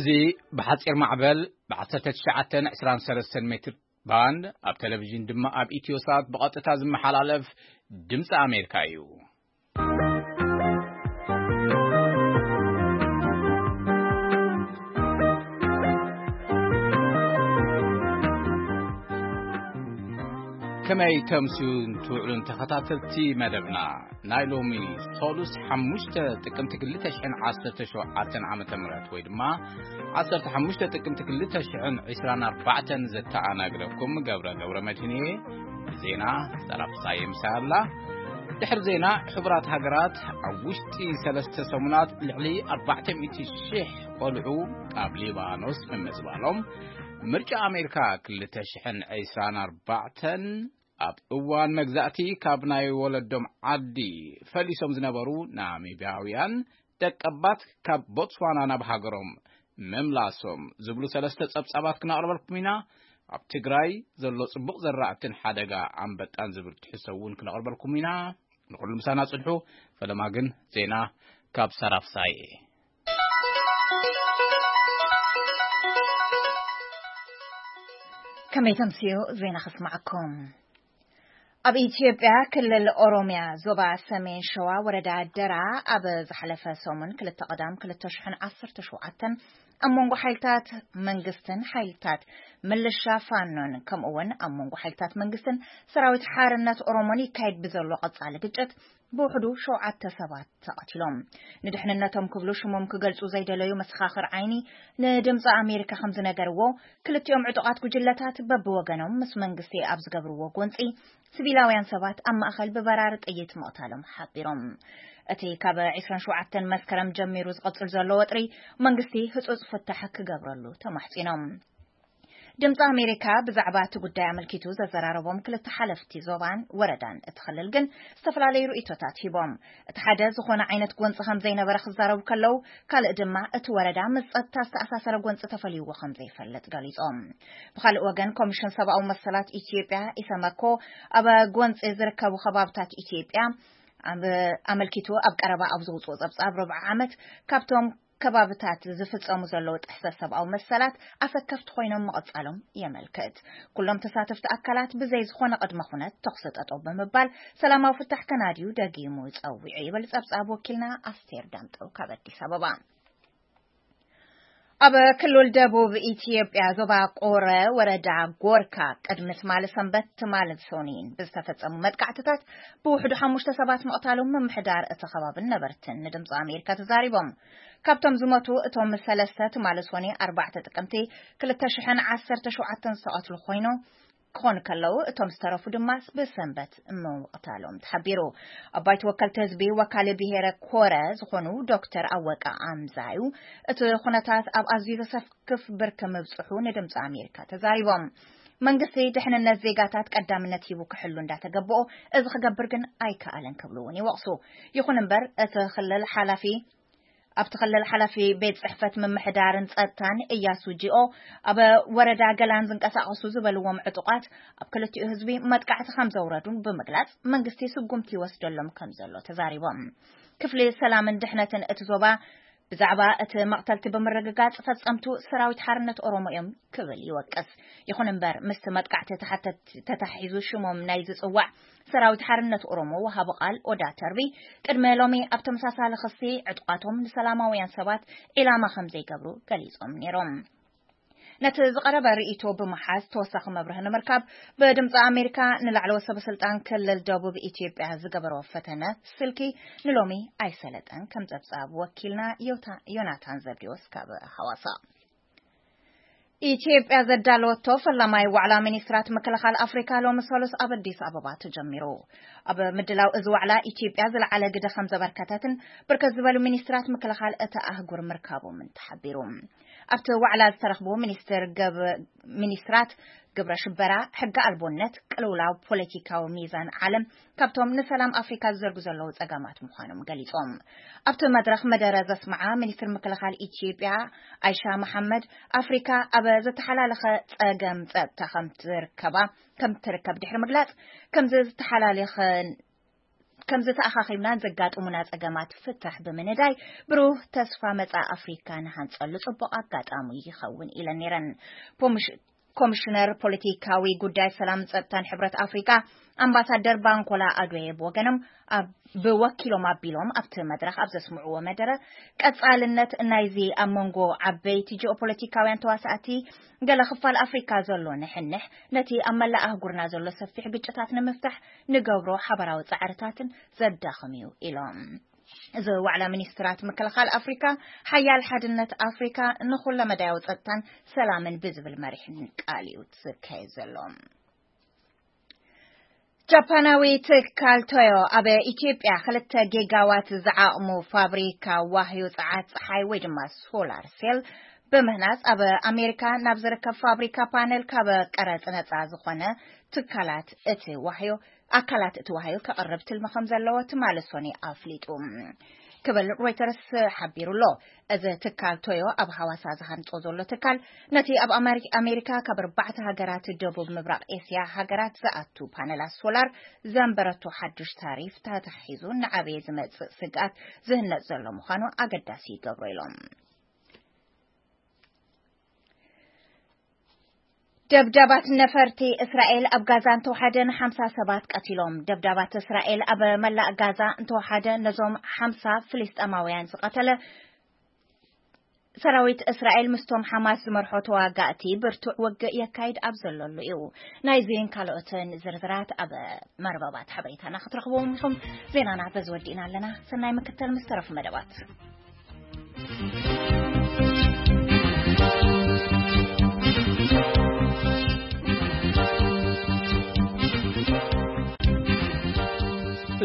እዚ ብሓጺር ማዕበል ብ19 23 ሜትር ባንድ ኣብ ቴሌቪዥን ድማ ኣብ ኢትዮ ሳት ብቐጥታ ዝመሓላለፍ ድምፂ ኣሜሪካ እዩ። ከመይ ተምስዩን ትውዕሉን ተኸታተልቲ መደብና? ናይ ሎሚ ሶሉስ 5 ጥቅምቲ 2017 ዓመተ ምህረት ወይ ድማ 15 ጥቅምቲ 2024 ዘተኣናግረኩም ገብረ ገብረ መድህን እየ። ዜና ሰራፍ ሳየ ምሳይ ኣላ። ድሕሪ ዜና፣ ሕቡራት ሃገራት ኣብ ውሽጢ ሰለስተ ሰሙናት ልዕሊ 400,000 ቆልዑ ኣብ ሊባኖስ ምምዝባሎም፣ ምርጫ ኣሜሪካ 2024 ኣብ እዋን መግዛእቲ ካብ ናይ ወለዶም ዓዲ ፈሊሶም ዝነበሩ ናሚብያውያን ደቀባት ካብ ቦትስዋና ናብ ሃገሮም ምምላሶም ዝብሉ ሰለስተ ጸብጻባት ክነቕርበልኩም ኢና። ኣብ ትግራይ ዘሎ ጽቡቕ ዘራእትን ሓደጋ ኣንበጣን ዝብል ትሕዝቶ እውን ክነቕርበልኩም ኢና። ንኹሉ ምሳና ጽንሑ። ፈለማ ግን ዜና ካብ ሰራፍ ሳየ። ከመይ ተምስዮ ዜና ከስማዓኩም። ኣብ ኢትዮጵያ ክልል ኦሮሚያ ዞባ ሰሜን ሸዋ ወረዳ ደራ ኣብ ዝሓለፈ ሰሙን ክልተ ቀዳም 2017 ኣብ መንጎ ሓይልታት መንግስትን ሓይልታት ምልሻ ፋኖን ከምኡ እውን ኣብ መንጎ ሓይልታት መንግስትን ሰራዊት ሓርነት ኦሮሞን ይካየድ ብዘሎ ቀጻሊ ግጭት ብውሕዱ ሸውዓተ ሰባት ተቐቲሎም። ንድሕንነቶም ክብሉ ሽሞም ክገልጹ ዘይደለዩ መሰኻኽር ዓይኒ ንድምፂ ኣሜሪካ ከም ዝነገርዎ፣ ክልቲኦም ዕጡቓት ጉጅለታት በብወገኖም ምስ መንግስቲ ኣብ ዝገብርዎ ጎንፂ፣ ሲቪላውያን ሰባት ኣብ ማእኸል ብበራሪ ጥይት ምቕታሎም ሓቢሮም። እቲ ካብ 27 መስከረም ጀሚሩ ዝቐጽል ዘሎ ወጥሪ መንግስቲ ህጹጽ ፍታሕ ክገብረሉ ተማሕጺኖም። ድምፂ ኣሜሪካ ብዛዕባ እቲ ጉዳይ ኣመልኪቱ ዘዘራረቦም ክልተ ሓለፍቲ ዞባን ወረዳን እቲ ክልል ግን ዝተፈላለዩ ርእይቶታት ሂቦም። እቲ ሓደ ዝኾነ ዓይነት ጎንፂ ከም ዘይነበረ ክዛረቡ ከለዉ፣ ካልእ ድማ እቲ ወረዳ ምስ ጸጥታ ዝተኣሳሰረ ጎንፂ ተፈልይዎ ከም ዘይፈልጥ ገሊጾም። ብኻልእ ወገን፣ ኮሚሽን ሰብኣዊ መሰላት ኢትዮጵያ፣ ኢሰመኮ፣ ኣብ ጎንፂ ዝርከቡ ከባብታት ኢትዮጵያ ኣብ-፣ ኣመልኪቱ ኣብ ቀረባ ኣብ ዘውፅኦ ጸብጻብ፣ ርብዓ ዓመት ካብቶም ከባብታት ዝፍጸሙ ዘለዉ ጥሕሰት ሰብኣዊ መሰላት ኣሰከፍቲ ኮይኖም ምቕጻሎም የመልክት። ኩሎም ተሳተፍቲ ኣካላት ብዘይ ዝኾነ ቅድመ ኩነት ተኹሲ ጠጠው ብምባል ሰላማዊ ፍታሕ ከናድዩ ደጊሙ ጸዊዑ ይብል ጸብጻብ ወኪልና ኣስቴር ዳምጠው ካብ ኣዲስ ኣበባ። ኣብ ክልል ደቡብ ኢትዮጵያ ዞባ ቆረ ወረዳ ጎርካ ቅድሚ ትማሊ ሰንበት ትማሊ ሰኑይን ብዝተፈጸሙ መጥቃዕትታት ብውሕዱ ሓሙሽተ ሰባት ምቕታሎም ምምሕዳር እቲ ከባብን ነበርትን ንድምፂ ኣሜሪካ ተዛሪቦም። ካብቶም ዝሞቱ እቶም ሰለስተ ትማሊ ሰኑይ ኣርባዕተ ጥቅምቲ 2017 ዝተቐትሉ ኮይኑ ክኾኑ ከለዉ፣ እቶም ዝተረፉ ድማ ብሰንበት ምቕታሎም ተሓቢሩ። ኣባይቲ ወከልቲ ህዝቢ ወካሊ ብሄረ ኮረ ዝኾኑ ዶክተር ኣወቀ ኣምዛዩ፣ እቲ ኩነታት ኣብ ኣዝዩ ዘሰክፍ ብርኪ ምብጽሑ ንድምፂ ኣሜሪካ ተዛሪቦም። መንግስቲ ድሕንነት ዜጋታት ቀዳምነት ሂቡ ክሕሉ እንዳተገበኦ፣ እዚ ክገብር ግን ኣይከኣለን ክብሉ እውን ይወቕሱ። ይኹን እምበር፣ እቲ ክልል ሓላፊ ኣብቲ ክልል ሓላፊ ቤት ጽሕፈት ምምሕዳርን ጸጥታን እያሱ ጂኦ፣ ኣብ ወረዳ ገላን ዝንቀሳቐሱ ዝበልዎም ዕጡቓት ኣብ ክልቲኡ ህዝቢ መጥቃዕቲ ከም ዘውረዱን ብምግላጽ፣ መንግስቲ ስጉምቲ ይወስደሎም ከም ዘሎ ተዛሪቦም። ክፍሊ ሰላምን ድሕነትን እቲ ዞባ ብዛዕባ እቲ መቕተልቲ ብምርግጋጽ፣ ፈጸምቱ ሰራዊት ሓርነት ኦሮሞ እዮም ክብል ይወቅስ። ይኹን እምበር፣ ምስቲ መጥቃዕቲ ተሓተት-፣ ተታሒዙ ሽሞም ናይ ዝጽዋዕ ሰራዊት ሓርነት ኦሮሞ ወሃቢ ቃል ኦዳ ተርቢ፣ ቅድሚ ሎሚ ኣብ ተመሳሳሊ ክሲ ዕጡቓቶም ንሰላማውያን ሰባት ዒላማ ከም ዘይገብሩ ገሊጾም ነይሮም። ነቲ ዝቐረበ ርእይቶ ብምሓዝ ተወሳኺ መብርሂ ንምርካብ ብድምፂ ኣሜሪካ ንላዕለዎት ሰበ ስልጣን ክልል ደቡብ ኢትዮጵያ ዝገበሮ ፈተነ ስልኪ ንሎሚ ኣይሰለጠን፣ ከም ጸብጻብ ወኪልና ዮታ-፣ ዮናታን ዘብዲዎስ ካብ ሃዋሳ። ኢትዮጵያ ዘዳለወቶ ፈላማይ ዋዕላ ሚኒስትራት ምክልኻል ኣፍሪካ ሎሚ ሰሉስ ኣብ ኣዲስ ኣበባ ተጀሚሩ። ኣብ ምድላው እዚ ዋዕላ ኢትዮጵያ ዝለዓለ ግደ ከም ዘበርከተትን ብርከት ዝበሉ ሚኒስትራት ምክልኻል እታ ኣህጉር ምርካቦምን ተሓቢሩ። ኣብቲ ዋዕላ ዝተረኽቡ ሚኒስትር ገብ-፣ ሚኒስትራት ግብረ ሽበራ፣ ሕገ ኣልቦነት፣ ቅልውላው ፖለቲካዊ ሚዛን ዓለም ካብቶም ንሰላም ኣፍሪካ ዝዘርጉ ዘለዉ ጸገማት ምዃኖም ገሊጾም። ኣብቲ መድረኽ መደረ ዘስምዓ ሚኒስትር ምክልኻል ኢትዮጵያ ኣይሻ መሓመድ፣ ኣፍሪካ ኣብ ዝተሓላለኸ ጸገም ጸጥታ ከም ትርከባ፣ ከም ትርከብ ድሕሪ ምግላጽ፣ ከምዚ ዝተሓላለኸ ከምዚ ተኣኻኺብና ዘጋጥሙና ጸገማት ፍታሕ ብምንዳይ፣ ብሩህ ተስፋ መጻኢ ኣፍሪካ ንሃንጸሉ ጽቡቕ ኣጋጣሚ ይኸውን ኢለን ነይረን። ኮሚሽ-፣ ኮሚሽነር ፖለቲካዊ ጉዳይ ሰላም ጸጥታን ሕብረት ኣፍሪካ ኣምባሳደር ባንኮላ ኣድዌ ብወገኖም፣ ኣብ ብወኪሎም ኣቢሎም ኣብቲ መድረኽ ኣብ ዘስምዕዎ መደረ፣ ቀጻልነት ናይዚ ኣብ መንጎ ዓበይቲ ጂኦፖለቲካውያን ተዋሳእቲ ገለ ክፋል ኣፍሪካ ዘሎ ንሕንሕ፣ ነቲ ኣብ መላእ ኣህጉርና ዘሎ ሰፊሕ ግጭታት ንምፍታሕ ንገብሮ ሓበራዊ ጻዕርታትን ዘዳኽም እዩ ኢሎም። እዚ ዋዕላ ሚኒስትራት ምክልኻል ኣፍሪካ፣ ሓያል ሓድነት ኣፍሪካ ንኹለመዳያዊ ጸጥታን ሰላምን ብዝብል መሪሕ ቃል እዩ ዝካየድ ዘሎ። ጃፓናዊ ትካል ቶዮ ኣብ ኢትዮጵያ ክልተ ጊጋዋት ዝዓቕሙ ፋብሪካ ዋህዮ ጸዓት ጸሓይ ወይ ድማ ሶላር ሴል ብምህናጽ ኣብ ኣሜሪካ ናብ ዝርከብ ፋብሪካ ፓነል ካብ ቀረጽ ነጻ ዝኾነ ትካላት እቲ ዋህዮ፣ ኣካላት እቲ ዋህዮ ከቕርብ ትልሚ ከም ዘለዎ ትማሊ ሶኒ ኣፍሊጡ ክብል ሮይተርስ ሓቢሩ ኣሎ። እዚ ትካል ቶዮ ኣብ ሃዋሳ ዝሃንጾ ዘሎ ትካል፣ ነቲ ኣብ ኣመሪ-፣ ኣሜሪካ ካብ ኣርባዕተ ሃገራት ደቡብ ምብራቕ ኤስያ ሃገራት ዝኣቱ ፓነላት ሶላር ዘንበረቶ ሓዱሽ ታሪፍ ተታሒዙ ንዓበየ ዝመጽእ ስግኣት ዝህነጽ ዘሎ ምዃኑ ኣገዳሲ ይገብሮ ኢሎም። ደብዳባት ነፈርቲ እስራኤል ኣብ ጋዛ እንተወሓደ ንሓምሳ ሰባት ቀቲሎም። ደብዳባት እስራኤል ኣብ መላእ ጋዛ እንተወሓደ ነዞም ሓምሳ ፍልስጤማውያን ዝቐተለ ሰራዊት እስራኤል ምስቶም ሓማስ ዝመርሖ ተዋጋእቲ ብርቱዕ ውግእ የካይድ ኣብ ዘለሉ እዩ። ናይዚን ካልኦትን ዝርዝራት ኣብ መርበባት ሓበሬታና ክትረኽብዎም ኢኹም። ዜናና በዚ ወዲእና ኣለና። ሰናይ ምክትል ምስ ተረፉ መደባት።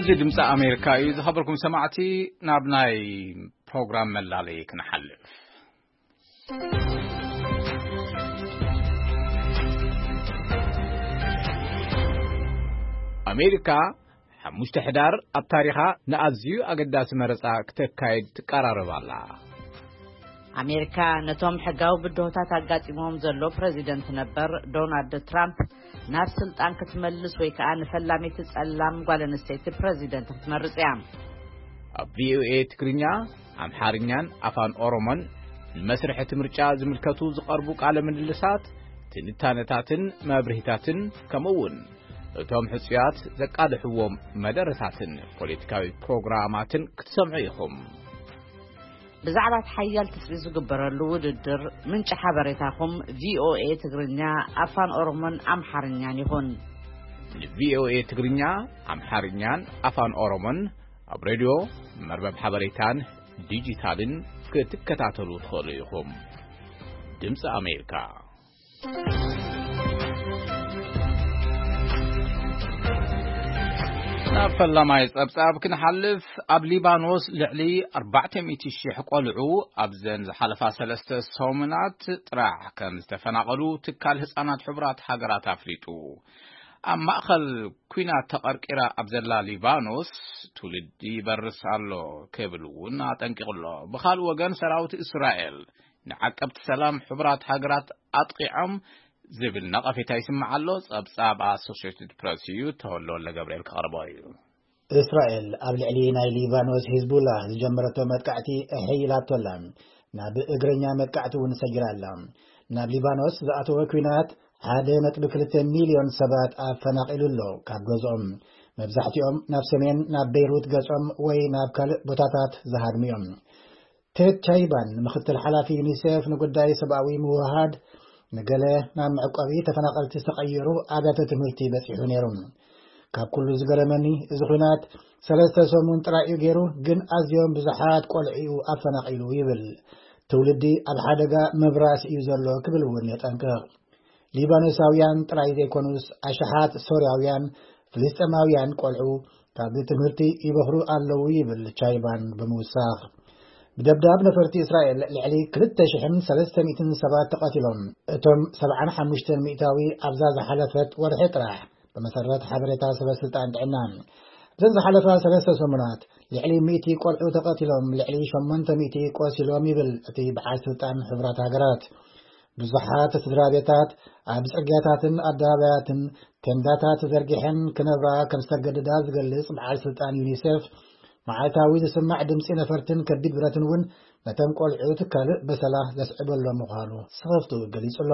እዚ ድምፂ ኣሜሪካ እዩ። ዝኸበርኩም ሰማዕቲ፣ ናብ ናይ ፕሮግራም መላለዪ ክንሓልፍ። ኣሜሪካ ሓሙሽተ ሕዳር ኣብ ታሪኻ ንኣዝዩ ኣገዳሲ መረጻ ክተካይድ ትቀራረብ ኣላ። ኣሜሪካ ነቶም ሕጋዊ ብድሆታት ኣጋጢሞም ዘሎ ፕረዚደንት ነበር ዶናልድ ትራምፕ ናብ ስልጣን ክትመልስ ወይ ከኣ ንፈላሚት ጸላም ጓል ኣንስተይቲ ፕረዚደንት ክትመርጽ እያ። ኣብ ቪኦኤ ትግርኛ፣ ኣምሓርኛን ኣፋን ኦሮሞን ንመስርሕ እቲ ምርጫ ዝምልከቱ ዝቐርቡ ቃለ ምልልሳት፣ ትንታነታትን መብርሂታትን፣ ከምኡ እውን እቶም ሕጹያት ዘቃልሕዎም መደረታትን ፖለቲካዊ ፕሮግራማትን ክትሰምዑ ኢኹም። ብዛዕባ እቲ ሓያል ትጽቢት ዝግበረሉ ውድድር፣ ምንጪ ሓበሬታኹም ቪኦኤ ትግርኛ፣ ኣፋን ኦሮሞን ኣምሓርኛን ይኹን። ንቪኦኤ ትግርኛ፣ ኣምሓርኛን ኣፋን ኦሮሞን ኣብ ሬድዮ፣ መርበብ ሓበሬታን ዲጂታልን ክትከታተሉ ትኽእሉ ኢኹም። ድምፂ ኣሜሪካ። ናብ ፈላማይ ጸብጻብ ክንሓልፍ፣ ኣብ ሊባኖስ ልዕሊ ኣርባዕተ ሚእቲ ሽሕ ቆልዑ ኣብዘን ዝሓለፋ ሰለስተ ሰሙናት ጥራሕ ከም ዝተፈናቐሉ ትካል ህጻናት ሕቡራት ሃገራት ኣፍሊጡ። ኣብ ማእኸል ኲናት ተቐርቂራ ኣብ ዘላ ሊባኖስ ትውልዲ ይበርስ ኣሎ ክብል እውን ኣጠንቂቑ ኣሎ። ብኻልእ ወገን፣ ሰራዊት እስራኤል ንዓቀብቲ ሰላም ሕቡራት ሃገራት ኣጥቒዖም ዝብል ነቐፌታ ይስማዕ ኣሎ። ጸብጻብ ኣሶሽየትድ ፕረስ እዩ፣ ተወልደ ወልደ ገብርኤል ክቐርቦ እዩ። እስራኤል ኣብ ልዕሊ ናይ ሊባኖስ ሂዝቡላ ዝጀመረቶ መጥቃዕቲ እሕይ ኢላቶ ኣላ። ናብ እግረኛ መጥቃዕቲ እውን ሰጊራ ኣላ። ናብ ሊባኖስ ዝኣተወ ኲናት ሓደ ነጥቢ ክልተ ሚልዮን ሰባት ኣፈናቒሉ ኣሎ ካብ ገዝኦም። መብዛሕትኦም ናብ ሰሜን፣ ናብ ቤይሩት ገጾም ወይ ናብ ካልእ ቦታታት ዝሃድሙ እዮም። ቴድ ቻይባን፣ ምኽትል ሓላፊ ዩኒሴፍ ንጉዳይ ሰብኣዊ ምውህሃድ፣ ንገለ ናብ መዕቆቢ ተፈናቐልቲ ዝተቐየሩ ኣብያተ ትምህርቲ በጺሑ ነይሩ። ካብ ኩሉ ዝገረመኒ፣ እዚ ኲናት ሰለስተ ሰሙን ጥራይ እዩ ገይሩ፣ ግን ኣዝዮም ብዙሓት ቆልዑ እዩ ኣፈናቒሉ ይብል። ትውልዲ ኣብ ሓደጋ ምብራስ እዩ ዘሎ ክብል እውን የጠንቅቕ። ሊባኖሳውያን ጥራይ ዘይኮኑስ፣ ኣሽሓት ሶርያውያን፣ ፍልስጤማውያን ቆልዑ ካብ ትምህርቲ ይበኽሩ ኣለዉ ይብል ቻይባን ብምውሳኽ። ብደብዳብ ነፈርቲ እስራኤል ልዕሊ ክልተ ሽሕን ሰለስተ ሚእትን ሰባት ተቐቲሎም። እቶም ሰብዓን ሓሙሽተን ሚእታዊ ኣብዛ ዝሓለፈት ወርሒ ጥራሕ፣ ብመሰረት ሓበሬታ ሰበ ስልጣን ጥዕና። እዘን ዝሓለፋ ሰለስተ ሰሙናት ልዕሊ ሚእቲ ቆልዑ ተቐቲሎም፣ ልዕሊ ሸሞንተ ሚእቲ ቆሲሎም ይብል እቲ በዓል ስልጣን ሕቡራት ሃገራት። ብዙሓት ስድራ ቤታት ኣብ ጽርግያታትን ኣደባባያትን ቴንዳታት ተዘርጊሐን ክነብራ ከም ዝተገደዳ ዝገልጽ በዓል ስልጣን ዩኒሴፍ፣ መዓልታዊ ዝስማዕ ድምጺ ነፈርትን ከቢድ ብረትን እውን ነቶም ቆልዑት ካልእ በሰላ ዘስዕበሎም ምዃኑ ስኽፍቱ ገሊጹ ኣሎ።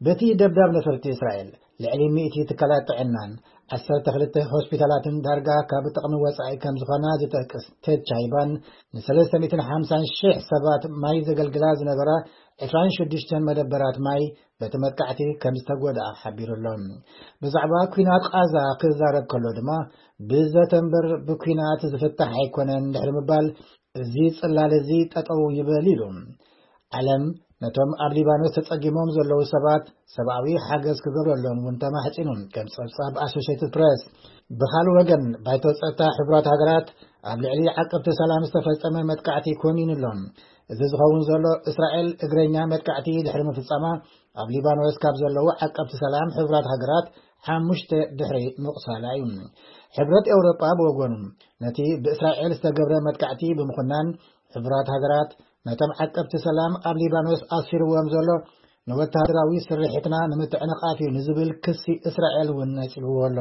በቲ ደብዳብ ነፈርቲ እስራኤል፣ ልዕሊ ሚእቲ ትካላት ጥዕናን ዓሰርተ ክልተ ሆስፒታላትን ዳርጋ ካብ ጥቕሚ ወጻኢ ከም ዝኾና ዝጠቅስ ቴድ ቻይባን፣ ንሰለስተ ሚእትን ሓምሳን ሽሕ ሰባት ማይ ዘገልግላ ዝነበራ ዕስራን ሽዱሽተን መደበራት ማይ በቲ መጥቃዕቲ ከም ዝተጎድኣ ሓቢሩ ኣሎ። ብዛዕባ ኲናት ቓዛ ክዛረብ ከሎ ድማ፣ ብዘተ እምበር ብኲናት ዝፍታሕ ኣይኮነን ድሕሪ ምባል፣ እዚ ጽላል እዚ ጠጠው ይበል ኢሉ። ዓለም ነቶም ኣብ ሊባኖስ ተጸጊሞም ዘለዉ ሰባት ሰብኣዊ ሓገዝ ክገብረሎም እውን ተማሕጺኑ። ከም ጸብጻብ ኣሶሽየትድ ፕሬስ። ብኻልእ ወገን፣ ባይቶ ጸጥታ ሕቡራት ሃገራት ኣብ ልዕሊ ዓቀብቲ ሰላም ዝተፈጸመ መጥቃዕቲ ኮኒኑ ኣሎ። እዚ ዝኸውን ዘሎ፣ እስራኤል እግረኛ መጥቃዕቲ ድሕሪ ምፍጻማ፣ ኣብ ሊባኖስ ካብ ዘለዉ ዓቀብቲ ሰላም ሕቡራት ሃገራት ሓሙሽተ ድሕሪ ምቕሳላ እዩ። ሕብረት ኤውሮጳ ብወገኑ፣ ነቲ ብእስራኤል ዝተገብረ መጥቃዕቲ ብምኹናን፣ ሕቡራት ሃገራት ነቶም ዓቀብቲ ሰላም ኣብ ሊባኖስ ኣስፊርዎም ዘሎ ንወተሃደራዊ ስርሒትና ንምትዕንቓፍ እዩ ንዝብል ክሲ እስራኤል እውን ነጺግዎ ኣሎ።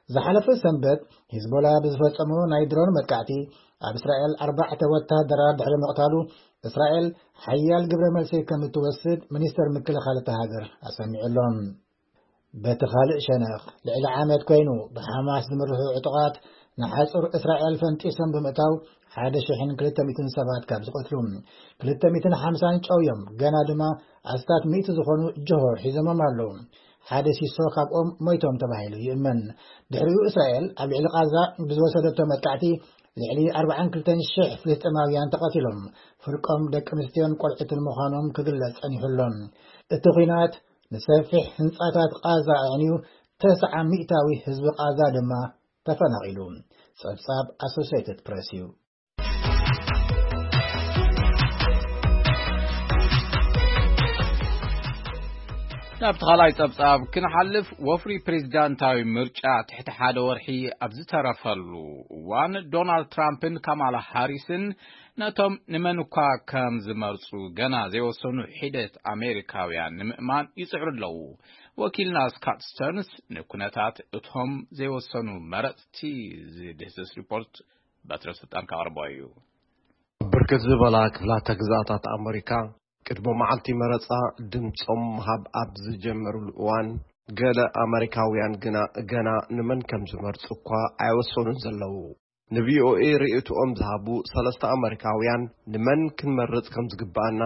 ዝሓለፈ ሰንበት፣ ሂዝቦላ ብዝፈጸሞ ናይ ድሮን መጥቃዕቲ ኣብ እስራኤል ኣርባዕተ ወተሃደራት ድሕሪ ምቕታሉ፣ እስራኤል ሓያል ግብረ መልሲ ከም እትወስድ ሚኒስተር ምክልኻል እታ ሃገር ኣሰሚዑ ኣሎ። በቲ ካልእ ሸነኽ፣ ልዕሊ ዓመት ኮይኑ ብሓማስ ዝምርሑ ዕጡቓት ንሓጹር እስራኤል ፈንጢሶም ብምእታው፣ ሓደ ሽሕን ክልተ ሚእትን ሰባት ካብ ዝቐትሉ፣ ክልተ ሚእትን ሓምሳን ጨውዮም፣ ገና ድማ ኣስታት ሚእቲ ዝኾኑ ጆሆ ሒዞሞም ኣለዉ። ሓደ ሲሶ ካብኦም ሞይቶም ተባሂሉ ይእመን። ድሕሪኡ እስራኤል ኣብ ልዕሊ ቓዛ ብዝወሰደቶ መጥቃዕቲ፣ ልዕሊ ኣርባዓን ክልተን ሽሕ ፍልስጤማውያን ተቐቲሎም፣ ፍርቆም ደቂ ኣንስትዮን ቆልዑትን ምዃኖም ክግለጽ ጸኒሑ ኣሎ። እቲ ኲናት ንሰፊሕ ህንጻታት ቓዛ ኣዕንዩ፣ ተስዓ ሚእታዊ ህዝቢ ቓዛ ድማ ተፈናቒሉ። ጸብጻብ ኣሶሲየትድ ፕሬስ እዩ። ናብቲ ካልኣይ ጸብጻብ ክንሓልፍ፣ ወፍሪ ፕሬዚዳንታዊ ምርጫ ትሕቲ ሓደ ወርሒ ኣብ ዝተረፈሉ እዋን፣ ዶናልድ ትራምፕን ካማላ ሃሪስን ነቶም ንመን እኳ ከም ዝመርጹ ገና ዘይወሰኑ ሒደት ኣሜሪካውያን ንምእማን ይጽዕሩ ኣለዉ። ወኪልና ስካት ስተርንስ ንኩነታት እቶም ዘይወሰኑ መረጽቲ ዝድህስስ ሪፖርት በትረ ስልጣን ከቕርቦ እዩ። ብርክት ዝበላ ክፍላተ ግዝኣታት ኣመሪካ ቅድሚ መዓልቲ መረጻ ድምጾም ምሃብ ኣብ ዝጀመሩሉ እዋን፣ ገለ ኣመሪካውያን ግና ገና ንመን ከም ዝመርጹ እኳ ኣይወሰኑን ዘለዉ። ንቪኦኤ ርእይቶኦም ዝሃቡ ሰለስተ ኣመሪካውያን፣ ንመን ክንመርጽ ከም ዝግብኣና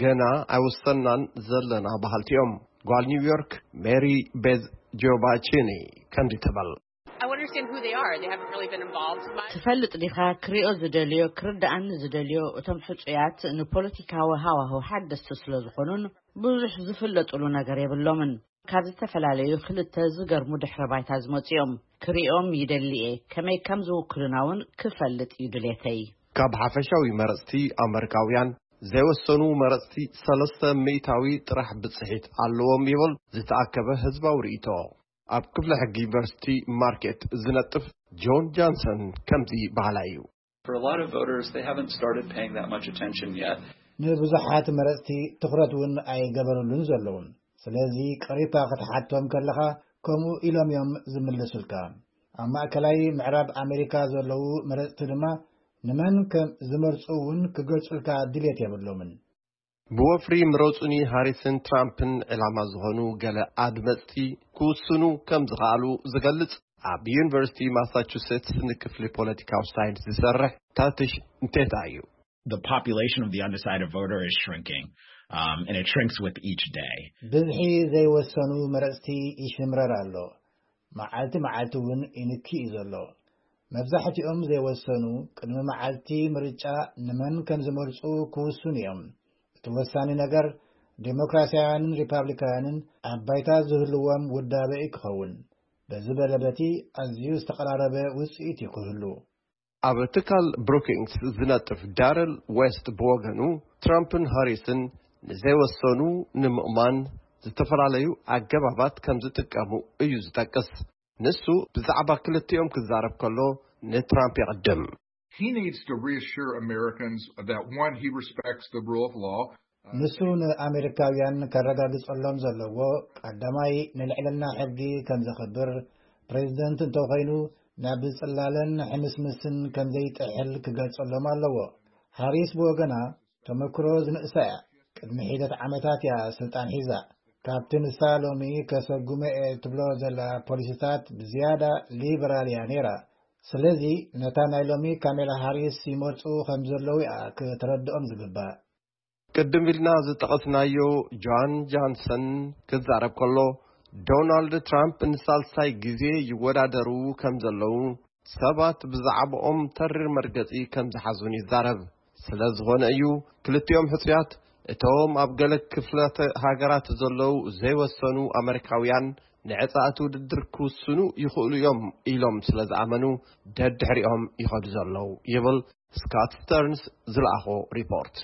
ገና ኣይወሰናን ዘለና በሃልቲ እዮም። ጓል ኒውዮርክ ሜሪ ቤዝ ጆባቺኒ ከምዚ ትብል። I want to understand who they are. They haven't really been involved much. ትፈልጥ ዲኻ? ክሪኦ ዝደልዮ፣ ክርድኣኒ ዝደልዮ፣ እቶም ሕጹያት ንፖለቲካዊ ሃዋህው ሓደስቲ ስለ ዝኾኑን ብዙሕ ዝፍለጡሉ ነገር የብሎምን። ካብ ዝተፈላለዩ ክልተ ዝገርሙ ድሕረ ባይታ ዝመጹ እዮም። ክሪኦም ይደሊ እየ። ከመይ ከም ዝውክሉና እውን ክፈልጥ እዩ ድሌተይ። ካብ ሓፈሻዊ መረጽቲ ኣመሪካውያን ዘይወሰኑ መረጽቲ ሰለስተ ሚእታዊ ጥራሕ ብጽሒት ኣለዎም ይብል ዝተኣከበ ህዝባዊ ርእይቶ። ኣብ ክፍለ ሕጊ ዩኒቨርሲቲ ማርኬት ዝነጥፍ ጆን ጃንሰን ከምዚ በሃላይ እዩ። For a lot of voters, they haven't started paying that much attention yet. ንብዙሓት መረጽቲ ትኹረት እውን ኣይገበሩሉን ዘለዉ። ስለዚ ቀሪብካ ክትሓቶም ከለኻ ከምኡ ኢሎም እዮም ዝምልሱልካ። ኣብ ማእከላይ ምዕራብ ኣሜሪካ ዘለዉ መረጽቲ ድማ ንመን ከም ዝመርጹ እውን ክገልጹልካ ድሌት የብሎምን። ብወፍሪ ምረጹኒ ሃሪስን ትራምፕን ዕላማ ዝኾኑ ገለ ኣድመጽቲ ክውስኑ ከም ዝኸኣሉ ዝገልጽ ኣብ ዩኒቨርሲቲ ማሳቹሴትስ ንክፍሊ ፖለቲካዊ ሳይንስ ዝሰርሕ ታትሽ እንቴታ እዩ። The population of the undecided voter is shrinking, um, and it shrinks with each day. ብዝሒ ዘይወሰኑ መረጽቲ ይሽምረር ኣሎ። መዓልቲ መዓልቲ እውን ይንኪ እዩ ዘሎ። መብዛሕትኦም ዘይወሰኑ ቅድሚ መዓልቲ ምርጫ ንመን ከም ዝመርጹ ክውስኑ እዮም። እቲ ወሳኒ ነገር ዴሞክራሲያውያንን ሪፓብሊካውያንን ኣብ ባይታ ዝህልዎም ውዳበ እዩ ክኸውን። በዚ በለ በቲ ኣዝዩ ዝተቐራረበ ውጽኢት እዩ ክህሉ። ኣብ ትካል ብሩኪንግስ ዝነጥፍ ዳረል ዌስት ብወገኑ፣ ትራምፕን ሃሪስን ንዘይወሰኑ ንምእማን ዝተፈላለዩ ኣገባባት ከም ዝጥቀሙ እዩ ዝጠቅስ። ንሱ ብዛዕባ ክልቲኦም ክዛረብ ከሎ ንትራምፕ የቕድም። He needs to reassure Americans that, one, he respects the rule of law. ንሱ ንኣሜሪካውያን ከረጋግጸሎም ዘለዎ፣ ቀዳማይ ንልዕልና ሕጊ ከም ዘኽብር፣ ፕሬዚደንት እንተኾይኑ ናብ ጽላለን ሕምስምስን ከም ዘይጥሕል ክገልጸሎም ኣለዎ። ሃሪስ ብወገና፣ ተመክሮ ዝንእሳ እያ። ቅድሚ ሒደት ዓመታት እያ ስልጣን ሒዛ። ካብቲ ንሳ ሎሚ ከሰጉመ እየ ትብሎ ዘላ ፖሊሲታት ብዝያዳ ሊበራል እያ ነይራ። ስለዚ ነታ ናይ ሎሚ ካሜላ ሃሪስ ይመርጹ ከም ዘለዉ እያ ክተረድኦም ዝግባእ። ቅድም ኢልና ዝጠቐስናዮ ጆን ጆንሰን ክዛረብ ከሎ፣ ዶናልድ ትራምፕ ንሳልሳይ ግዜ ይወዳደሩ ከም ዘለዉ ሰባት ብዛዕባኦም ተሪር መርገጺ ከም ዝሓዙን ይዛረብ። ስለ ዝኾነ እዩ ክልቲኦም ሕጹያት፣ እቶም ኣብ ገለ ክፍላተ ሃገራት ዘለዉ ዘይወሰኑ ኣመሪካውያን ንዕጻ እቲ ውድድር ክውስኑ ይኽእሉ እዮም ኢሎም ስለ ዝኣመኑ ደድሕሪኦም ይኸዱ ዘለዉ ይብል ስካት ስተርንስ ዝለኣኾ ሪፖርት።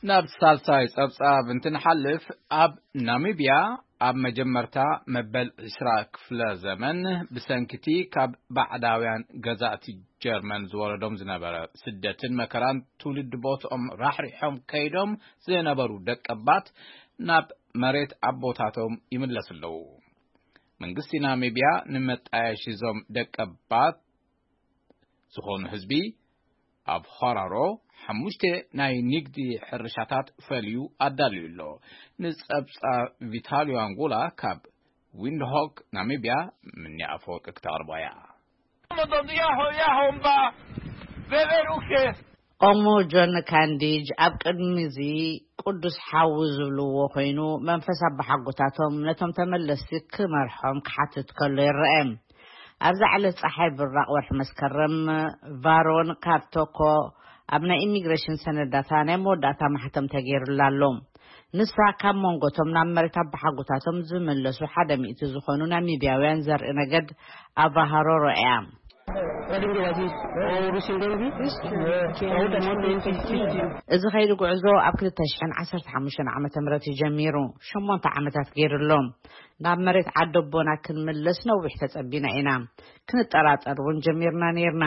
ናብ ሳልሳይ ጸብጻብ እንትንሓልፍ፣ ኣብ ናሚብያ ኣብ መጀመርታ መበል ዕስራ ክፍለ ዘመን ብሰንኪቲ ካብ ባዕዳውያን ገዛእቲ ጀርመን ዝወረዶም ዝነበረ ስደትን መከራን ትውልዲ ቦትኦም ራሕሪሖም ከይዶም ዝነበሩ ደቀባት ናብ መሬት ኣቦታቶም ይምለሱ ኣለዉ። መንግስቲ ናሚብያ ንመጣየሺ እዞም ደቀባት ዝኾኑ ህዝቢ ኣብ ሆራሮ ሓሙሽተ ናይ ንግዲ ሕርሻታት ፈልዩ ኣዳልዩ ኣሎ። ንጸብጻብ ቪታልዮ ኣንጎላ ካብ ዊንድሆክ ናሚብያ ምኒ ኣፈወርቂ ክተቕርቦ እያ። ኦሞ ጆን ካንዲጅ ኣብ ቅድሚ እዚ ቅዱስ ሓዊ ዝብልዎ ኮይኑ መንፈስ ኣባሓጎታቶም ነቶም ተመለስቲ ክመርሖም ክሓትት ከሎ ይረአ። ኣብዛ ዕለት ጸሓይ ብራቕ ወርሒ መስከረም ቫሮን ካብ ቶኮ ኣብ ናይ ኢሚግሬሽን ሰነዳታ ናይ መወዳእታ ማሕተም ተገይሩላ ኣሎ። ንሳ ካብ መንጎቶም ናብ መሬት ኣባሓጎታቶም ዝምለሱ ሓደ ሚእቲ ዝኾኑ ናሚብያውያን ዘርኢ ነገድ ኣባሃሮሮ እያ። እዚ ኸይዲ ጉዕዞ ኣብ ክልተ ሽሕን ዓሰርተ ሓሙሽተን ዓመተ ምህረት እዩ ጀሚሩ። ሸሞንተ ዓመታት ገይሩ ኣሎ። ናብ መሬት ዓደቦና ክንምለስ ነዊሕ ተጸቢና ኢና። ክንጠራጠር እውን ጀሚርና ነይርና።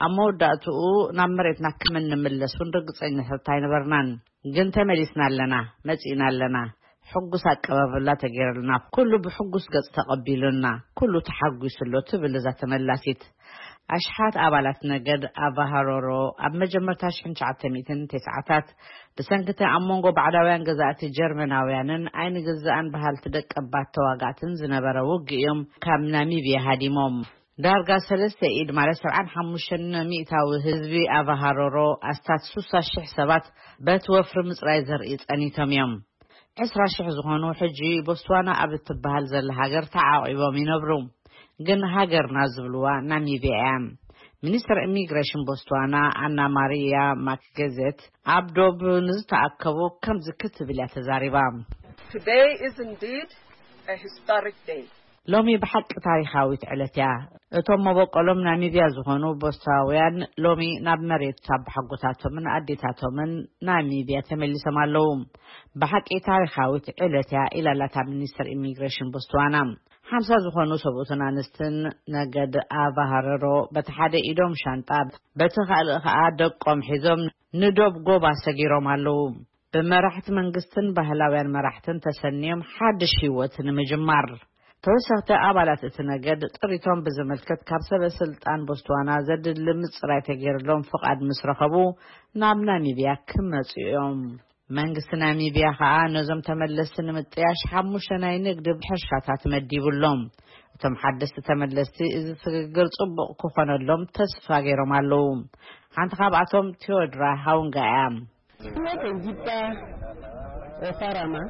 ኣብ መወዳእትኡ ናብ መሬትና ከም እንምለስ እውን ርግጸኛታት ኣይነበርናን። ግን ተመሊስና ኣለና፣ መጺእና ኣለና። ሕጉስ ኣቀባብላ ተገይርልና፣ ኩሉ ብሕጉስ ገጽ ተቐቢሉና፣ ኩሉ ተሓጒሱ ኣሎ ትብል እዛ ተመላሲት። ኣሽሓት ኣባላት ነገድ ኣቫሃሮሮ ኣብ መጀመርታ ሽሕን ትሽዓተ ሚእትን ተስዓታት ብሰንኪ እቲ ኣብ መንጎ ባዕዳውያን ገዛእቲ ጀርመናውያንን ኣይንግዛእን በሃልቲ ደቀባት ተዋጋእትን ዝነበረ ውግእ እዮም ካብ ናሚብያ ሃዲሞም። ዳርጋ ሰለስተ ኢድ ማለት ሰብዓን ሓሙሽተን ሚእታዊ ህዝቢ ኣቫሃሮሮ ኣስታት ሱሳ ሽሕ ሰባት በቲ ወፍሪ ምጽራይ ዘርኢ ጸኒቶም እዮም። ዕስራ ሽሕ ዝኾኑ ሕጂ ቦትስዋና ኣብ እትበሃል ዘላ ሃገር ተዓቒቦም ይነብሩ። ግን ሃገርና ዝብልዋ ናሚብያ እያ። ሚኒስትር ኢሚግሬሽን ቦትስዋና ኣና ማሪያ ማክገዘት ኣብ ዶብ ንዝተኣከቡ ከምዚ ክትብል እያ ተዛሪባ። Today is indeed a historic day. ሎሚ ብሓቂ ታሪኻዊት ዕለት እያ። እቶም መበቆሎም ናሚብያ ዝኾኑ ቦትስዋናውያን ሎሚ ናብ መሬት ኣቦሓጎታቶምን ኣዴታቶምን ናሚብያ ተመሊሶም ኣለዉ። ብሓቂ ታሪኻዊት ዕለት እያ ኢላ ኣላ እታ ሚኒስትር ኢሚግሬሽን ቦትስዋና። ሓምሳ ዝኾኑ ሰብኡትን ኣንስትን ነገድ ኣቫሃረሮ በቲ ሓደ ኢዶም ሻንጣ፣ በቲ ካልእ ኸኣ ደቆም ሒዞም ንዶብ ጎባ ሰጊሮም ኣለዉ። ብመራሕቲ መንግስትን ባህላውያን መራሕትን ተሰንዮም ሓድሽ ህይወት ንምጅማር። ተወሰኽቲ ኣባላት እቲ ነገድ ጥሪቶም ብዝምልከት ካብ ሰበ ስልጣን ቦትስዋና ዘድሊ ምጽራይ ተገይርሎም ፍቓድ ምስ ረኸቡ ናብ ናሚብያ ክመጹ እዮም። መንግስቲ ናሚብያ ኸኣ ነዞም ተመለስቲ ንምጥያሽ ሓሙሽተ ናይ ንግዲ ሕርሻታት መዲቡ ኣሎ። እቶም ሓደስቲ ተመለስቲ እዚ ስግግር ጽቡቕ ክኾነሎም ተስፋ ገይሮም ኣለዉ። ሓንቲ ካብኣቶም ቴዎድራ ሃውንጋ እያ። Make a guitar or farmer.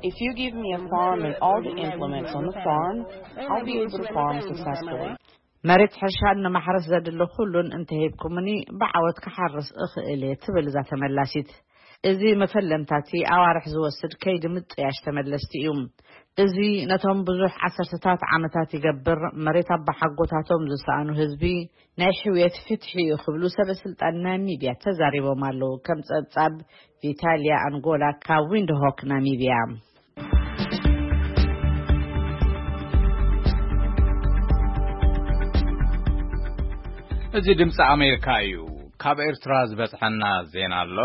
If you give me a farm and all the implements on the farm, I'll be able to farm successfully. መሬት ሕርሻን ንማሕረስ ዘድሊ ኩሉን እንተሂብኩምኒ ብዓወት ክሓርስ እኽእል እየ ትብል እዛ ተመላሲት። እዚ መፈለምታቲ ኣዋርሕ ዝወስድ ከይዲ ምጥያሽ ተመለስቲ እዩ። እዚ ነቶም ብዙሕ ዓሰርተታት ዓመታት ይገብር መሬት ኣባሓጎታቶም ዝሰኣኑ ህዝቢ ናይ ሕውየት ፍትሒ እዩ ክብሉ ሰበ ስልጣን ናሚብያ ተዛሪቦም ኣለዉ። ከም ጸብጻብ ቪታልያ ኣንጎላ ካብ ዊንድሆክ ናሚብያ። እዚ ድምፂ ኣሜሪካ እዩ። ካብ ኤርትራ ዝበፅሐና ዜና ኣሎ።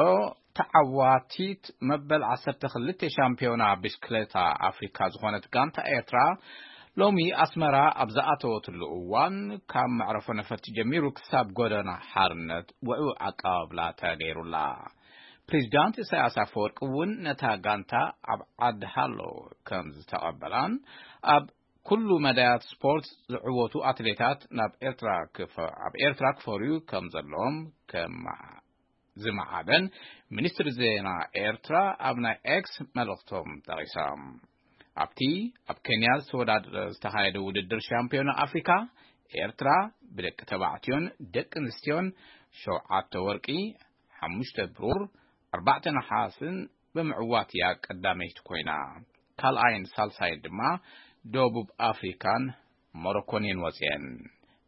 ተዓዋቲት መበል ዓሰርተ ክልተ ሻምፒዮና ብሽክሌታ ኣፍሪካ ዝኾነት ጋንታ ኤርትራ ሎሚ ኣስመራ ኣብ ዝኣተወትሉ እዋን ካብ መዕረፎ ነፈርቲ ጀሚሩ ክሳብ ጎደና ሓርነት ውዕው ኣቀባብላ ተገይሩላ። ፕሬዚዳንት ኢሳያስ ኣፈወርቂ እውን ነታ ጋንታ ኣብ ዓዲ ሃሎ ከም ዝተቐበላን ኣብ ኩሉ መዳያት ስፖርት ዝዕወቱ ኣትሌታት ናብ ኤርትራ ክፈ- ኣብ ኤርትራ ክፈርዩ ከም ዘለዎም ከመ- ዝመዓደን ሚኒስትሪ ዜና ኤርትራ ኣብ ናይ ኤክስ መልእኽቶም ጠቒሶም። ኣብቲ ኣብ ኬንያ ዝተወዳደ ዝተኻየደ ውድድር ሻምፒዮና ኣፍሪካ ኤርትራ ብደቂ ተባዕትዮን ደቂ ኣንስትዮን ሸውዓተ ወርቂ፣ ሓሙሽተ ብሩር፣ ኣርባዕተ ነሓስን ብምዕዋት እያ ቀዳመይቲ ኮይና። ካልኣይን ሳልሳይን ድማ ደቡብ ኣፍሪካን ሞሮኮን እየን ወፅየን።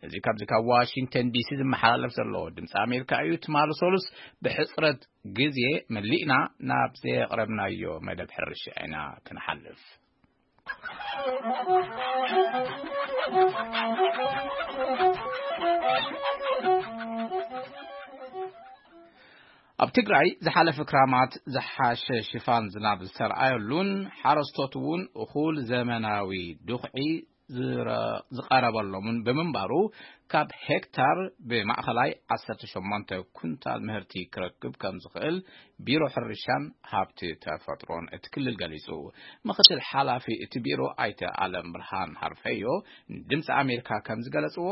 እዚ ካብዚ ካብ ዋሽንግተን ዲሲ ዝመሓላለፍ ዘሎ ድምፂ ኣሜሪካ እዩ። ትማሊ ሰሉስ ብሕፅረት ግዜ መሊእና ናብ ዘየቕረብናዮ መደብ ሕርሻ ኢና ክንሓልፍ። ኣብ ትግራይ ዝሓለፈ ክራማት ዝሓሸ ሽፋን ዝናብ ዝተረኣየሉን ሓረስቶት እውን እኹል ዘመናዊ ድኹዒ ዝረ- ዝቐረበሎምን ብምንባሩ ካብ ሄክታር ብማእኸላይ ዓሰርተ ሸሞንተ ኩንታል ምህርቲ ክረክብ ከም ዝኽእል ቢሮ ሕርሻን ሃብቲ ተፈጥሮን እቲ ክልል ገሊጹ። ምክትል ሓላፊ እቲ ቢሮ ኣይተ ኣለም ብርሃን ሃርፈዮ ንድምፂ ኣሜሪካ ከም ዝገለጽዎ፣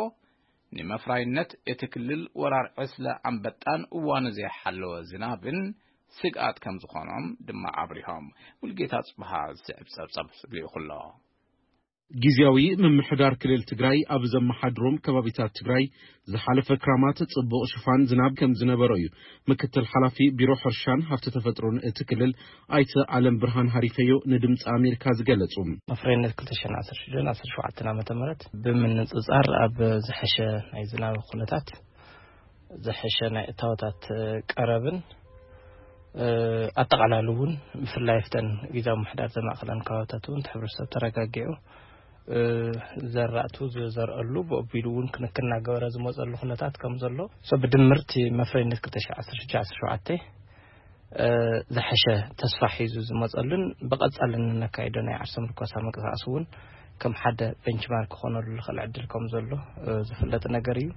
ንመፍራይነት እቲ ክልል ወራር ዕስለ ኣንበጣን እዋኑ ዘይሓለወ ዝናብን ስግኣት ከም ዝኾኖም ድማ ኣብሪሆም። ሙልጌታ ጽብሃ ዝስዕብ ጸብጸብ ልኢኹ ኣሎ። ግዝያዊ ምምሕዳር ክልል ትግራይ ኣብ ዘመሓድሮም ከባቢታት ትግራይ ዝሓለፈ ክራማት ጽቡቕ ሽፋን ዝናብ ከም ዝነበሮ እዩ ምክትል ሓላፊ ቢሮ ሕርሻን ሃብቲ ተፈጥሮን እቲ ክልል ኣይተ ኣለም ብርሃን ሃሪፈዮ ንድምፂ ኣሜሪካ ዝገለጹ። መፍረይነት ክልተ ሽሕን ዓሰርተ ሽዱን ዓሰርተ ሸውዓተን ዓመተ ምህረት ብምንጽጻር ኣብ ዝሐሸ ናይ ዝናብ ኩነታት፣ ዝሐሸ ናይ እታወታት ቀረብን፣ እ፣ ኣጠቓላሊ እውን ብፍላይ ኣብተን ግዝያዊ ምምሕዳር ዘማእኸለን ከባብታት እውን እቲ ሕብረተሰብ ተረጋጊዑ፣ እ፣ ዘራእቱ ዝዘርአሉ ብኦቢሉ እውን ክንክን እናገበረ ዝመፀሉ ኩነታት ከም ዘሎ፣ ሶ ብድምርቲ መፍረይነት ክልተ ሽሕን ዓሰርተ ሽዱን ዓሰርተ ሸውዓተን እ፣ ዝሐሸ ተስፋ ሒዙ ዝመጸሉን ብቐጻሊ እንነካይዶ ናይ ዓርሰ ምርኮሳ ምንቅስቃስ እውን ከም ሓደ ቤንችማርክ ክኾነሉ ዝኽእል ዕድል ከም ዘሎ፣ እ፣ ዝፍለጥ ነገር እዩ።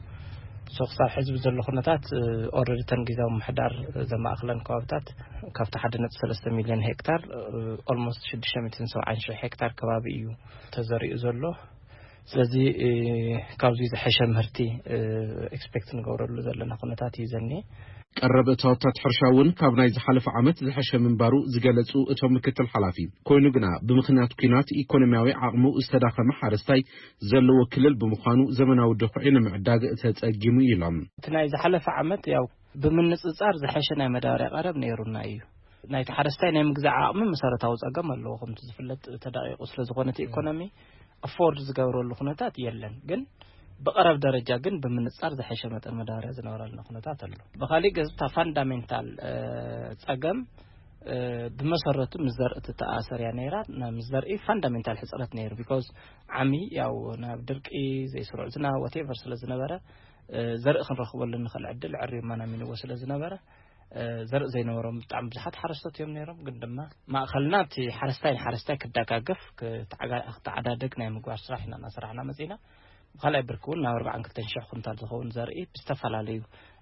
ሶ ክሳብ ሕዚ ብዘሎ ኩነታት፣ እ፣ ኦልሬዲ እተን ግዝያዊ ምምሕዳር ዘማእኽለን ከባብታት ካብቲ ሓደ ነጥቢ ሰለስተ ሚልዮን ሄክታር፣ እ፣ ኦልሞስት ሽዱሽተ ሚእትን ሰብዓን ሺሕ ሄክታር ከባቢ እዩ ተዘሪኡ ዘሎ። ስለዚ፣ እ፣ ካብዚ ዝሐሸ ምህርቲ፣ እ፣ ኤክስፔክት ንገብረሉ ዘለና ኩነታት እዩ ዘኒኤ። ቀረብ እታወታት ሕርሻ እውን ካብ ናይ ዝሓለፈ ዓመት ዝሐሸ ምንባሩ ዝገለጹ እቶም ምክትል ሓላፊ፣ ኮይኑ ግና ብምኽንያት ኲናት ኢኮኖሚያዊ ዓቕሙ ዝተዳኸመ ሓረስታይ ዘለዎ ክልል ብምዃኑ ዘመናዊ ድኹዒ ንምዕዳግ ተጸጊሙ ኢሎም። እቲ ናይ ዝሓለፈ ዓመት ያው ብምንጽጻር ዝሐሸ ናይ መዳበርያ ቀረብ ነይሩና እዩ። ናይቲ ሓረስታይ ናይ ምግዛእ ዓቕሚ መሰረታዊ ጸገም ኣለዎ። ከምቲ ዝፍለጥ ተዳቂቑ ስለ ዝኾነ እቲ ኢኮኖሚ ኣፎርድ ዝገብረሉ ኩነታት የለን። ግን ብቐረብ ደረጃ ግን ብምንጻር ዝሐሸ መጠን መዳበርያ ዝነበረልና ኩነታት ኣሎ። ብኻሊእ ገጽ እታ ፋንዳሜንታል፣ እ፣ ጸገም፣ እ፣ ብመሰረቱ ምስ ዘርኢ ትተኣሰር እያ ነይራ። ና-፣ ምስ ዘርኢ ፋንዳሜንታል ሕጽረት ነይሩ። ቢኮዝ ዓሚ ያው ናብ ድርቂ፣ ዘይስሩዕ ዝናብ፣ ዋቴቨር ስለ ዝነበረ፣ እ፣ ዘርኢ ክንረኽበሉ እንኽእል ዕድል ዕርዩ ማናሚንዎ ስለ ዝነበረ፣ እ፣ ዘርኢ ዘይነበሮም ብጣዕሚ ብዙሓት ሓረስቶት እዮም ነይሮም። ግን ድማ ማእኸልና እቲ ሓረስታይ ንሓረስታይ ክደጋገፍ፣ ክተዓጋ-፣ ክተዓዳደግ ናይ ምግባር ስራሕ ኢና እናሰራሕና መጺና። ብኻልኣይ ብርኪ እውን ናብ ኣርባዓን ክልተን ሽሕ ኩንታል ዝኸውን ዘርኢ ብዝተፈላለዩ፣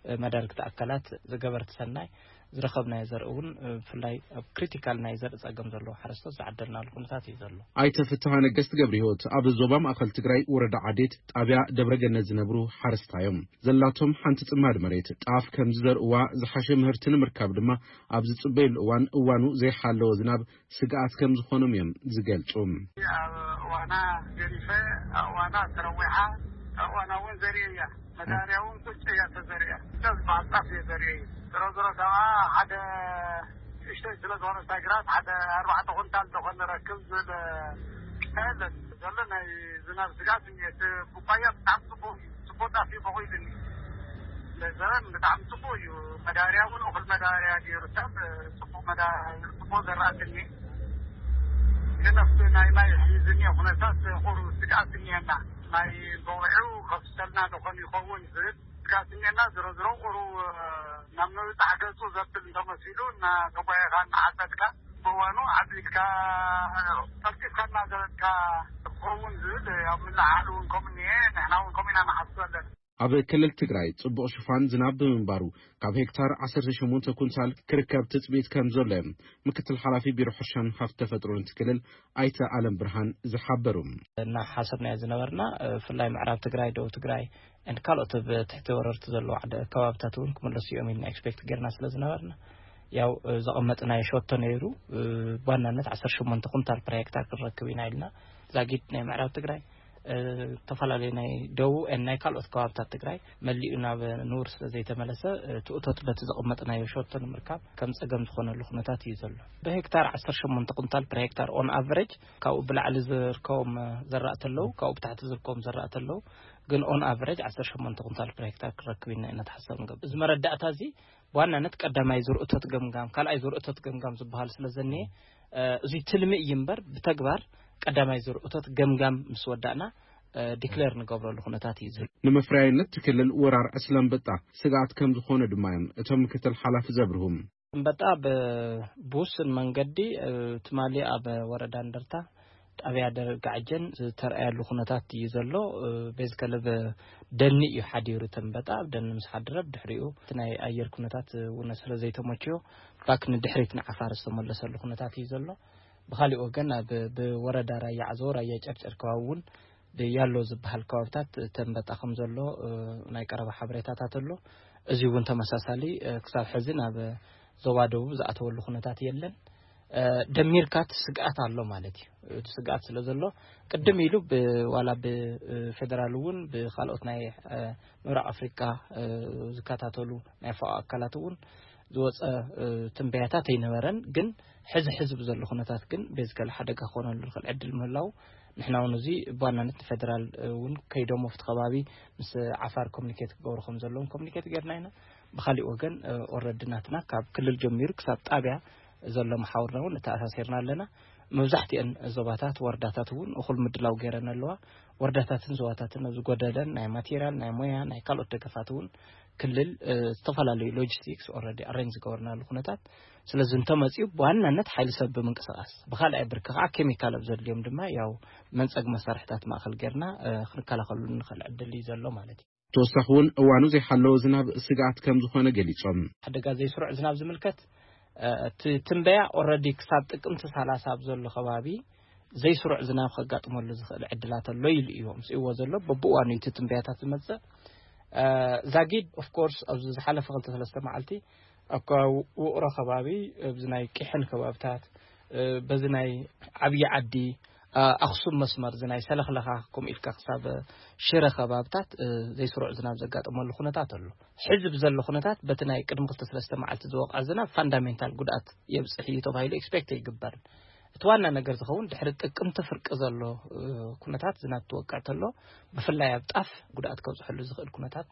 እ፣ መዳርግቲ ኣካላት ዝገበርቲ ሰናይ ዝረኸብናዮ ዘርኢ እውን፣ እ፣ ብፍላይ ኣብ ክሪቲካል ናይ ዘርኢ ጸገም ዘለዎ ሓረስቶት ዝዓደልናሉ ኩነታት እዩ ዘሎ። ኣይተ ፍትሃ ነገስት ገብረ ህይወት ኣብ ዞባ ማእኸል ትግራይ ወረዳ ዓዴት ጣብያ ደብረ ገነት ዝነብሩ ሓረስታ እዮም። ዘላቶም ሓንቲ ጽማድ መሬት ጣፍ ከም ዝዘርእዋ ዝሓሸ ምህርቲ ንምርካብ ድማ ኣብ ዝጽበየሉ እዋን እዋኑ ዘይሓለወ ዝናብ ስግኣት ከም ዝኾኖም እዮም ዝገልጹ። ኣብ እዋና ገዲፈ፣ ኣብ እዋና ተረዊሓ፣ ኣብ እዋና እውን ዘርኢ እያ። መዳርያ እውን ቁጭ እያ ተዘሪኣ። እዛ ዝበሃል ጣፍ እየ ዘርኢ። ዝሮ ዝሮ ከዓ ሓደ ንእሽተይ ስለ ዝኾነ እታ ግራት ሓደ ኣርባዕተ ኩንታል ዝኾነ ረክብ ዝብል የለን። ዘሎ ናይ ዝናብ ስግኣት እየ። እቲ ቡቃያ ብጣዕሚ ጽቡቕ እዩ። ጽቡቕ ጣፍ እዩ በቑሉኒ። ለዘበን ብጣዕሚ ጽቡቕ እዩ። መዳበርያ እውን እኹል መዳበርያ ገይሩ ሰብ ጽቡቕ መዳ-፣ ጽቡቕ ዘራእቲ እኒኤ። ግን ኣብቲ ናይ ማይ ዝኒኤ ኩነታት ቁሩብ ስግኣት እኒኤና። ማይ በዊዑ ከፍሰልና ደኾን ይኸውን ዝብል ስሜና ዝሮ ዝሮ ቁሩ ናብ ምብጻሕ ገጹ ዘብል እንተመሲሉ እናተጓየኻ እናሓተትካ ብእዋኑ ዓቢድካ ቀልጢፍካ እናዘረጥካ ክኸውን ዝብል ኣብ ምልዓል እውን ከምኡ እኒአ። ንሕና እውን ከምኡ ኢና ንሓስብ ኣለና። ኣብ ክልል ትግራይ ጽቡቕ ሽፋን ዝናብ ብምንባሩ ካብ ሄክታር ዓሰርተ ሸሞንተ ኩንታል ክርከብ ትጽቢት ከም ዘሎ እዮም ምክትል ሓላፊ ቢሮ ሕርሻን ሃፍቲ ተፈጥሮን እቲ ክልል ኣይተ ኣለም ብርሃን ዝሓበሩ። እናሓሰብናዮ ዝነበርና፣ እ፣ ብፍላይ ምዕራብ ትግራይ፣ ደቡብ ትግራይ፣ and ካልኦት ኣብ ትሕቲ ወረርቲ ዘለዉ ዓደ-፣ ከባብታት እውን ክምለሱ እዮም ኢልና ኤክስፔክት ጌርና ስለ ዝነበርና፣ ያው፣ እ፣ ዘቐመጥናዮ ሸቶ ነይሩ። እ፣ ብዋናነት ዓሰርተ ሸሞንተ ኩንታል ፐር ሄክታር ክንረክብ ኢና ኢልና። ዛጊድ ናይ ምዕራብ ትግራይ፣ እ፣ ዝተፈላለዩ ናይ ደቡብ and ናይ ካልኦት ከባብታት ትግራይ መሊኡ ናብ ንቡር ስለ ዘይተመለሰ፣ እ፣ እቲ እቶት በቲ ዘቐመጥናዮ ሸቶ ንምርካብ ከም ጸገም ዝኾነሉ ኩነታት እዩ ዘሎ። ብሄክታር ዓሰርተ ሸሞንተ ኩንታል ፐር ሄክታር ኦን ኣቨሬጅ፣ ካብኡ ብላዕሊ ዝርከቦም ዘራእቲ ኣለዉ፣ ካብኡ ብታሕቲ ዝርከቦም ዘራእቲ ኣለዉ። ግን ኦን ኣቨሬጅ ዓሰርተ ሸሞንተ ኩንታል ፐር ሄክታር ክረክብ ኢና ኢና ተሓሳብ ንገብር። እዚ መረዳእታ እዚ ብዋናነት ቀዳማይ ዙር እቶት ገምጋም፣ ካልኣይ ዙር እቶት ገምጋም ዝበሃል ስለ ዘኒኤ፣ እ፣ እዚ ትልሚ እዩ እምበር ብተግባር ቀዳማይ ዙር እቶት ገምጋም ምስ ወዳእና፣ እ፣ ዲክሌር ንገብረሉ ኩነታት እዩ ዝህሉ። ንምፍራይነት እቲ ክልል ወራር ዕስለ ኣንበጣ ስግኣት ከም ዝኾነ ድማ እዮም እቶም ምክትል ሓላፊ ዘብርሁ። ኣንበጣ ብ-፣ ብውሱን መንገዲ፣ እ፣ ትማሊ ኣብ ወረዳ እንደርታ ጣብያ ደረቅ ጋዕጀን ዝተርኣየሉ ኩነታት እዩ ዘሎ። እ፣ ቤዚካሊ ብ-፣ ደኒ እዩ ሓዲሩ እቲ ኣንበጣ። ኣብ ደኒ ምስ ሓደረ ብድሕሪኡ እቲ ናይ ኣየር ኩነታት እውን ስለ ዘይተመችዮ ባክ ንድሕሪት ንዓፋር ዝተመለሰሉ ኩነታት እዩ ዘሎ። ብኻሊእ ወገን ኣብ፣ ብወረዳ ራያ ዓዘቦ፣ ራያ ጨርጨር ከባቢ እውን ብያሎ ዝበሃል ከባብታት እቲ ኣንበጣ ከም ዘሎ፣ እ፣ ናይ ቀረባ ሓበሬታታት ኣሎ። እዚ እውን ተመሳሳሊ፣ እ፣ ክሳብ ሕዚ ናብ ዞባ ደቡብ ዝኣተወሉ ኩነታት የለን። እ፣ ደሚርካ እቲ ስግኣት ኣሎ ማለት እዩ። እቲ ስግኣት ስለ ዘሎ ቅድም ኢሉ ብ-፣ ዋላ ብ-፣ እ፣ ፌደራል እውን ብካልኦት ናይ፣ እ፣ ምብራቕ ኣፍሪቃ፣ እ፣ ዝከታተሉ ናይ ፋኦ ኣካላት እውን ዝወፀ፣ እ፣ ትንበያታት ኣይነበረን። ግን ሕዚ ሕዚ ብዘሎ ኩነታት ግን ቤዚካሊ ሓደጋ ክኾነሉ ዝኽእል ዕድል ምህላው ንሕና እውን እዚ ብዋናነት ንፌደራል እውን ከይዶም ኣብቲ ከባቢ ምስ ዓፋር ኮሚኒኬት ክገብሩ ከም ዘለዎም ኮሚኒኬት ጌርና ኢና። ብኻሊእ ወገን፣ እ፣ ኦልረዲ ናትና ካብ ክልል ጀሚሩ ክሳብ ጣብያ ዘሎ መሓውርና እውን ኣተኣሳሲርና ኣለና። መብዛሕትኤን ዞባታት፣ ወረዳታት እውን እኹል ምድላው ገይረን ኣለዋ። ወረዳታትን ዞባታትን ኣብ ዝጎደለን ናይ ማቴሪያል፣ ናይ ሞያ፣ ናይ ካልኦት ደገፋት እውን ክልል፣ እ፣ ዝተፈላለዩ ሎጂስቲክስ ኦልረዲ ኣሬንጅ ዝገበርናሉ ኩነታት። ስለዚ እንተመፂኡ ብዋናነት ሓይሊ ሰብ ብምንቅስቃስ፣ ብኻልኣይ ብርኪ ከዓ ኬሚካል ኣብ ዘድልዮም ድማ ያው መንፀግ መሳርሕታት ማእኸል ጌርና፣ እ፣ ክንከላኸሉ ንኽእል ዕድል እዩ ዘሎ ማለት እዩ። ተወሳኺ እውን እዋኑ ዘይሓለወ ዝናብ ስግኣት ከም ዝኾነ ገሊጾም። ሓደጋ ዘይስሩዕ ዝናብ ዝምልከት፣ እ፣ እቲ ትንበያ ኦልረዲ ክሳብ ጥቅምቲ ሰላሳ ኣብ ዘሎ ከባቢ ዘይስሩዕ ዝናብ ከጋጥመሉ ዝኽእል ዕድላት ኣሎ ኢሉ እዩ ኣምፅእዎ ዘሎ። በብእዋኑ እቲ ትንበያታት ዝመፅእ፣ እ፣ ዛጊድ ኦፍኮርስ ኣብዚ ዝሓለፈ ክልተ ሰለስተ መዓልቲ ኣብ ከባቢ ውቕሮ ከባቢ፣ ኣብዚ ናይ ቂሕን ከባብታት፣ እ፣ በዚ ናይ ዓብዪ ዓዲ፣ እ፣ ኣኽሱም መስመር፣ እዚ ናይ ሰለኽለኻ ከምኡ ኢልካ ክሳብ ሽረ ከባብታት፣ እ፣ ዘይስሩዕ ዝናብ ዘጋጠመሉ ኩነታት ኣሎ። ሕዚ ብዘሎ ኩነታት በቲ ናይ ቅድሚ ክልተ ሰለስተ መዓልቲ ዝወቕዐ ዝናብ ፋንዳሜንታል ጉድኣት የብፅሕ እዩ ተባሂሉ ኤክስፔክት ኣይግበርን። እቲ ዋና ነገር ዝኸውን ድሕሪ ጥቅምቲ ፍርቂ ዘሎ፣ እ፣ ኩነታት ዝናብ ትወቅዕ ተሎ ብፍላይ ኣብ ጣፍ ጉድኣት ከብፅሐሉ ዝኽእል ኩነታት፣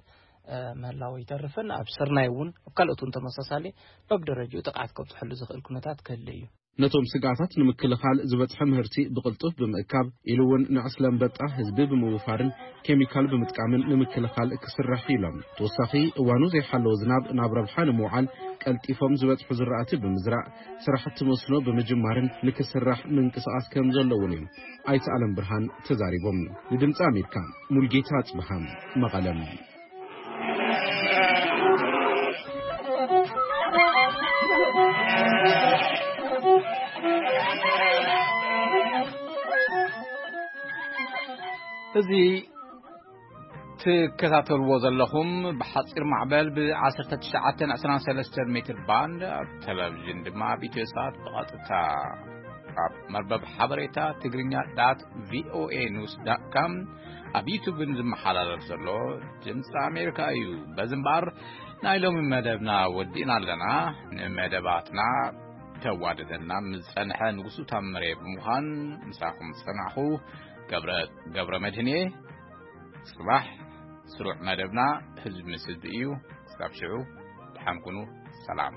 እ፣ ምህላው ኣይተርፍን። ኣብ ስርናይ እውን ኣብ ካልኦት እውን ተመሳሳሊ በብደረጅኡ ጥቕዓት ከብፅሐሉ ዝኽእል ኩነታት ክህሉ እዩ። ነቶም ስግኣታት ንምክልኻል ዝበፅሐ ምህርቲ ብቕልጡፍ ብምእካብ ኢሉ እውን ንዕስለ ኣንበጣ ህዝቢ ብምውፋርን ኬሚካል ብምጥቃምን ንምክልኻል ክስራሕ እዩ ኢሎም። ተወሳኺ እዋኑ ዘይሓለወ ዝናብ ናብ ረብሓ ንምውዓል ቀልጢፎም ዝበፅሑ ዝራእቲ ብምዝራእ ስራሕቲ መስኖ ብምጅማርን ንክስራሕ ምንቅስቓስ ከም ዘሎ እውን እዮም ኣይተ ኣለም ብርሃን ተዛሪቦም። ንድምፂ ኣሜሪካ ሙልጌታ ኣፅብሃ መቐለም። እዚ ትከታተልዎ ዘለኹም ብሓፂር ማዕበል ብ19 23 ሜትር ባንድ ኣብ ቴሌቪዥን ድማ ኣብ ኢትዮ ሰዓት ብቐጥታ ኣብ መርበብ ሓበሬታ ትግርኛ ዳት ቪኦኤ ኒውስ ዳት ካም ኣብ ዩቱብን ዝመሓላለፍ ዘሎ ድምፂ ኣሜሪካ እዩ። በዚ እምበኣር ናይ ሎሚ መደብና ወዲእና ኣለና። ንመደባትና ተዋደደልና ምስ ዝጸንሐ ንጉሱ ታምሬ ብምዃን ምሳኹም ዝጸናሕኹ ገብረ፣ ገብረ መድህን እየ። ጽባሕ ስሩዕ መደብና ህዝቢ ምስ ህዝቢ እዩ። ክሳብ ሽዑ ደሓን ኩኑ። ሰላም።